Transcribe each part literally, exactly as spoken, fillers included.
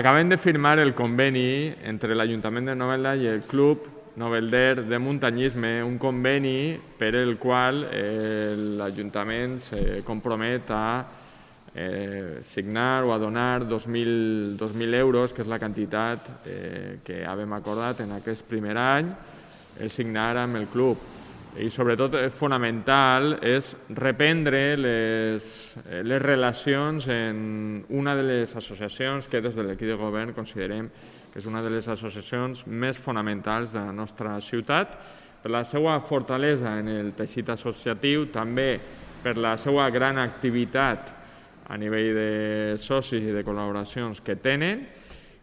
Acabem de firmar el conveni entre l'Ajuntament de Novelda i el Club Novelder de Muntanyisme, un conveni per el qual eh, l'Ajuntament se compromet a eh, signar o a donar dos mil euros, que és la quantitat eh, que havíem acordat en aquest primer any, el signar amb el club. I sobretot fonamental és reprendre les, les relacions en una de les associacions que des de l'equip de govern considerem que és una de les associacions més fonamentals de la nostra ciutat, per la seva fortalesa en el teixit associatiu, també per la seva gran activitat a nivell de socis i de col·laboracions que tenen,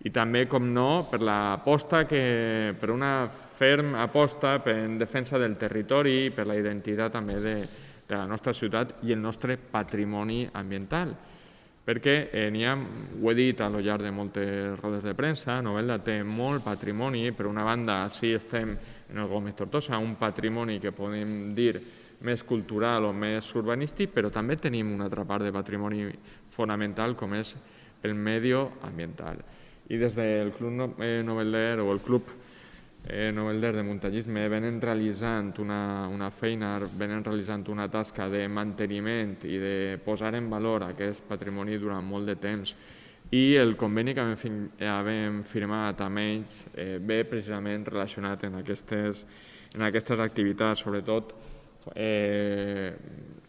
i també, com no, per l'aposta que, per una ferm aposta en defensa del territori i per la identitat també de, de la nostra ciutat i el nostre patrimoni ambiental. Perquè eh, n'hi ha, ho he dit a lo llarg de moltes rodes de premsa, Novelda té molt patrimoni. Per una banda, sí estem en el Gómez Tortosa, un patrimoni que podem dir més cultural o més urbanístic, però també tenim una altra part de patrimoni fonamental com és el medioambiental. I des del Club Novelder o el Club Novelder de Muntanyisme venen realitzant una, una feina, venen realitzant una tasca de manteniment i de posar en valor aquest patrimoni durant molt de temps. I el conveni que hem firmat amb ells eh, ve precisament relacionat en aquestes, en aquestes activitats, sobretot eh,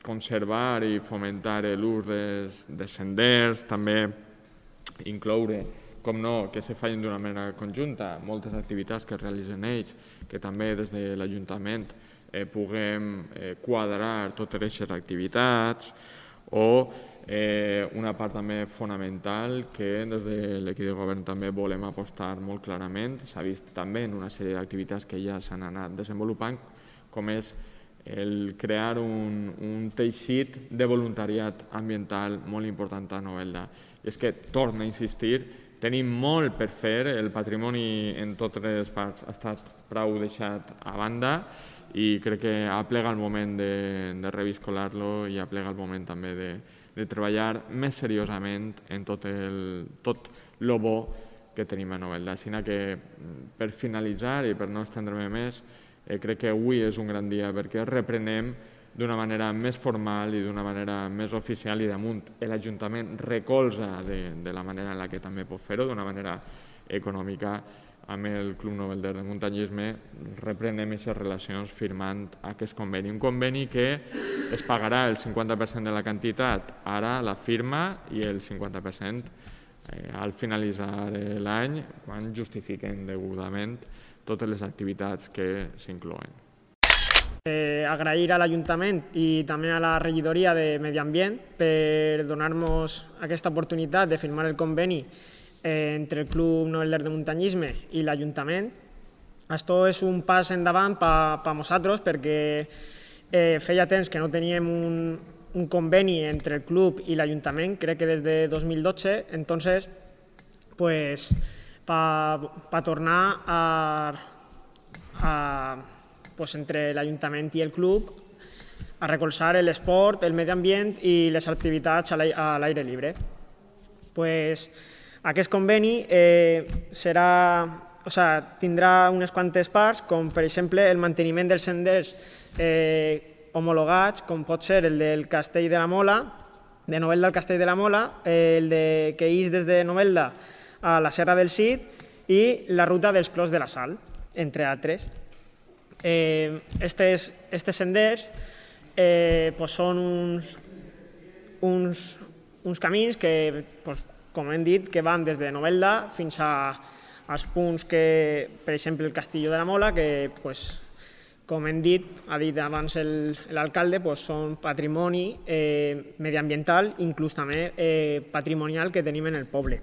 conservar i fomentar l'ús dels, dels senders, també incloure, com no, que se facin d'una manera conjunta, moltes activitats que realitzen ells, que també des de l'Ajuntament eh, puguem eh, quadrar totes aquestes activitats, o eh, una part també fonamental que des de l'equip de govern també volem apostar molt clarament, s'ha vist també en una sèrie d'activitats que ja s'han anat desenvolupant, com és el crear un, un teixit de voluntariat ambiental molt important a Novelda. I és que, torno a insistir, tenim molt per fer, el patrimoni en totes les parts ha estat prou deixat a banda i crec que aplega el moment de, de reviscolar-lo i aplega el moment també de, de treballar més seriosament en tot el tot lo bo que tenim a Novelda. Així que, per finalitzar i per no estendre-me més, eh, crec que avui és un gran dia perquè reprenem d'una manera més formal i d'una manera més oficial i damunt l'Ajuntament recolza de, de la manera en la que també pot fer-ho, d'una manera econòmica amb el Club Novelder de Muntanyisme, reprenem aquestes relacions firmant aquest conveni. Un conveni que es pagarà el cinquanta per cent de la quantitat ara la firma i el cinquanta per cent eh, al finalitzar l'any, quan justifiquen degudament totes les activitats que s'inclouen. Eh, agrair a l'Ajuntament i també a la regidoria de Medi Ambient per donar-nos aquesta oportunitat de firmar el conveni eh, entre el Club Novelder de Muntanyisme i l'Ajuntament. Això és un pas endavant per a nosaltres perquè eh, feia temps que no teníem un, un conveni entre el club i l'Ajuntament, crec que des de dos mil dotze, entonces, pues, per pa tornar a, a pues, entre l'Ajuntament i el club a recolzar l'esport, el medi ambient i les activitats a l'aire lliure. Pues, aquest conveni eh, serà, o sea, tindrà unes quantes parts, com per exemple el manteniment dels senders eh, homologats, com pot ser el del Castell de la Mola, de Novelda al Castell de la Mola, eh, el de, que ix des de Novelda a la Serra del Cid i la ruta dels Clos de la Sal, entre altres. Eh, estes, estes senders eh, pues són uns, uns, uns camins que, pues, com hem dit, que van des de Novelda fins a, als punts que, per exemple, el Castillo de la Mola, que, pues, com hem dit, ha dit abans l'alcalde, pues, són patrimoni eh, mediambiental, inclús també eh, patrimonial que tenim en el poble.